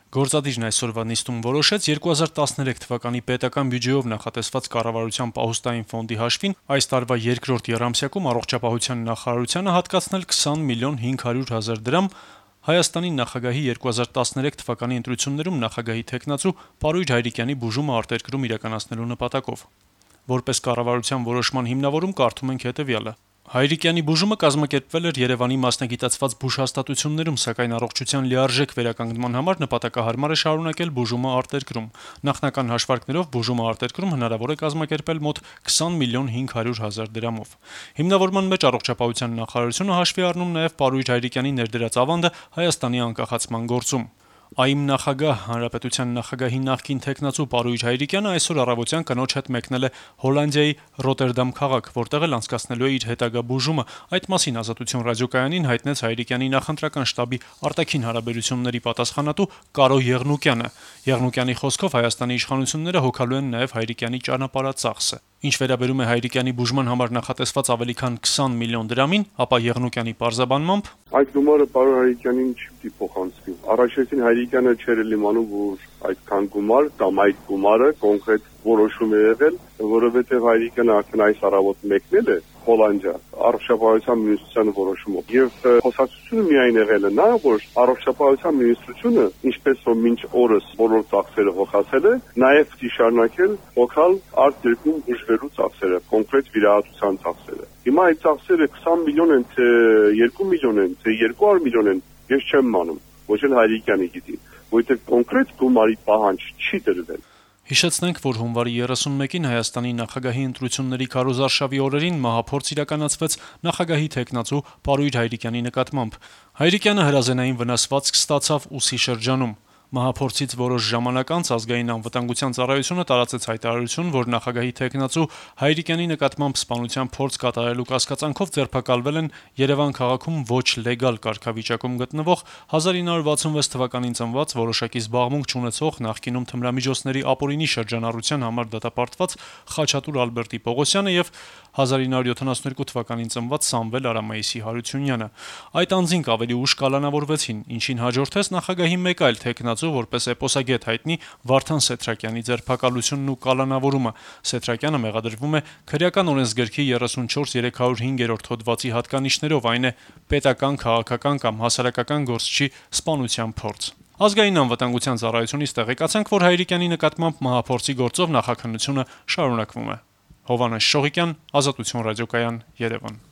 Գործադիրն այսօրվա նիստում որոշեց 2013 թվականի պետական բյուջեով նախատեսված կառավարության պահուստային ֆոնդի հաշվին այս տարվա երկրորդ եռամսյակում առողջապահության նախարարությանը հատկացնել 20 միլիոն 500 հազար դրամ Հայաստանի նախագահի 2013 թվականի ընտրություններում նախագահի թեկնածու Պարույր Հայրիկյանի բուժումը արտերկրում իրականացնելու նպատակով։ Որպես կառավարության որոշման հիմնավորում կարդում ենք հետևյալը. Հայրիկյանի բուժումը կազմակերպվել էր Երևանի մասնագիտացված բուժհաստատություններում, սակայն առողջության լիարժեք վերականգնման համար նպատակահարմար է շարունակել բուժումը արտերկրում։ Նախնական հաշվարկներով բուժումը արտերկրում հնարավոր է կազմակերպել մոտ 20 միլիոն 500 հազար դրամով։ Հիմնավորման մեջ առողջապահության նախարարությունը հաշվի առնում նաև Պարույր Հայրիկյանի ներդրած ավանդը Հայաստանի անկախացման գործում։ ԱԻՄ նախագահ, Հանրապետության նախագահի նախկին թեկնածու Պարույր Հայրիկյանը այսօր առավոտյան կնոջ հետ մեկնել է Հոլանդիայի Ռոտերդամ քաղաք, որտեղ էլ անցկացնելու է իր հետագա բուժումը։ Այդ մասին Ազատություն ռադիոկայանին հայտնեց Հայրիկյանի նախընտրական շտաբի արտաքին հարաբերությունների պատասխանատու Կարո Եղնուկյանը։ Եղնուկյանի խոսքով Հայաստանի իշխանությունները հոգալու են նաև Հայրիկյանի ճանապարհածախսը։ Ինչ վերաբերում է Հայրիկյանի բուժման համար նախատեսված ավելի քան 20 միլիոն դրամին, ապա Եղնուկյանի պարզաբանմամբ այդ գումարը Պարույր Հայրիկյանին չի պիտի փոխանցվի։ Առաջին Հայրիկյանը չէր իմանում, որ այդքան գումար կամ այդ գումարը կոնկրետ որոշում է եղել, որովհետև Հայրիկյանը արդեն այս առավոտ մեկնել է Հոլանդիա առողջապահության միኒստրության որոշումով։ Եվ խոսակցությունը միայն եղել է նա, որ առողջապահության մինիստրությունը, ինչպես որ մինչ օրս բոլոր ծախսերը հոգացել է, նաև պիտի շարունակել հոգալ արտերկրում բուժվելու ծախսերը, կոնկրետ վիրահատության ծախսերը։ Հիմա այդ ծախսերը 20 միլիոն են, թե 2 միլիոն են, թե 200 միլիոն են, ես չեմ մանում, ոչ էլ Հայրիկյանը գիտի, որովհետև կոնկրետ գումարի պահանջ չի դրվել։ Հիշեցնենք, որ հունվարի 31-ին Հայաստանի նախագահի ընտրությունների քարոզարշավի օրերին մահափորձ իրականացվեց նախագահի թեկնածու Պարույր Հայրիկյանի նկատմամբ։ Հայրիկյանը հրազենային վնասվածք ստացավ ուսի շրջանում։ Մահափորձից որոշ ժամանակ անց Ազգային անվտանգության ծառայությունը տարածեց հայտարարություն, որ նախագահի թեկնածու Հայրիկյանի նկատմամբ սպանության փորձ կատարելու կասկածանքով ձերբակալվել են Երևան քաղաքում ոչ լեգալ կարգավիճակում գտնվող 1966 թվականին ծնված որոշակի զբաղմունք չունեցող նախկինում թմրամիջոցների ապօրինի շրջանառության համար դատապարտված Խաչատուր Ալբերտի Պողոսյանը եւ 1972 թվականին ծնված Սամվել Արամայիսի Հարությունյանը։ Այդ անձինք ավելի ուշ կալանավորվեցին, ինչին հաջորդեց նախագահի մեկ այլ թեկնածու, որպես էպոսագետ հայտնի Վարդան Սեթրակյանի ձերբակալությունն ու կալանավորումը։ Սեթրակյանը մեղադրվում է քրեական օրենսգրքի 34-305 հոդվածի հատկանիշներով, այն է պետական, քաղաքական կամ հասարակական գործչի սպանության փորձ։ Ազգային անվտանգության ծառայությունից տեղեկացանք, որ Հայրիկյանի նկատմամբ մահափորձի գործով նախաքննությունը շարունակվում է։ Հովհաննես Շողիկյան, Ազատություն ռադիոկայան, Երևան։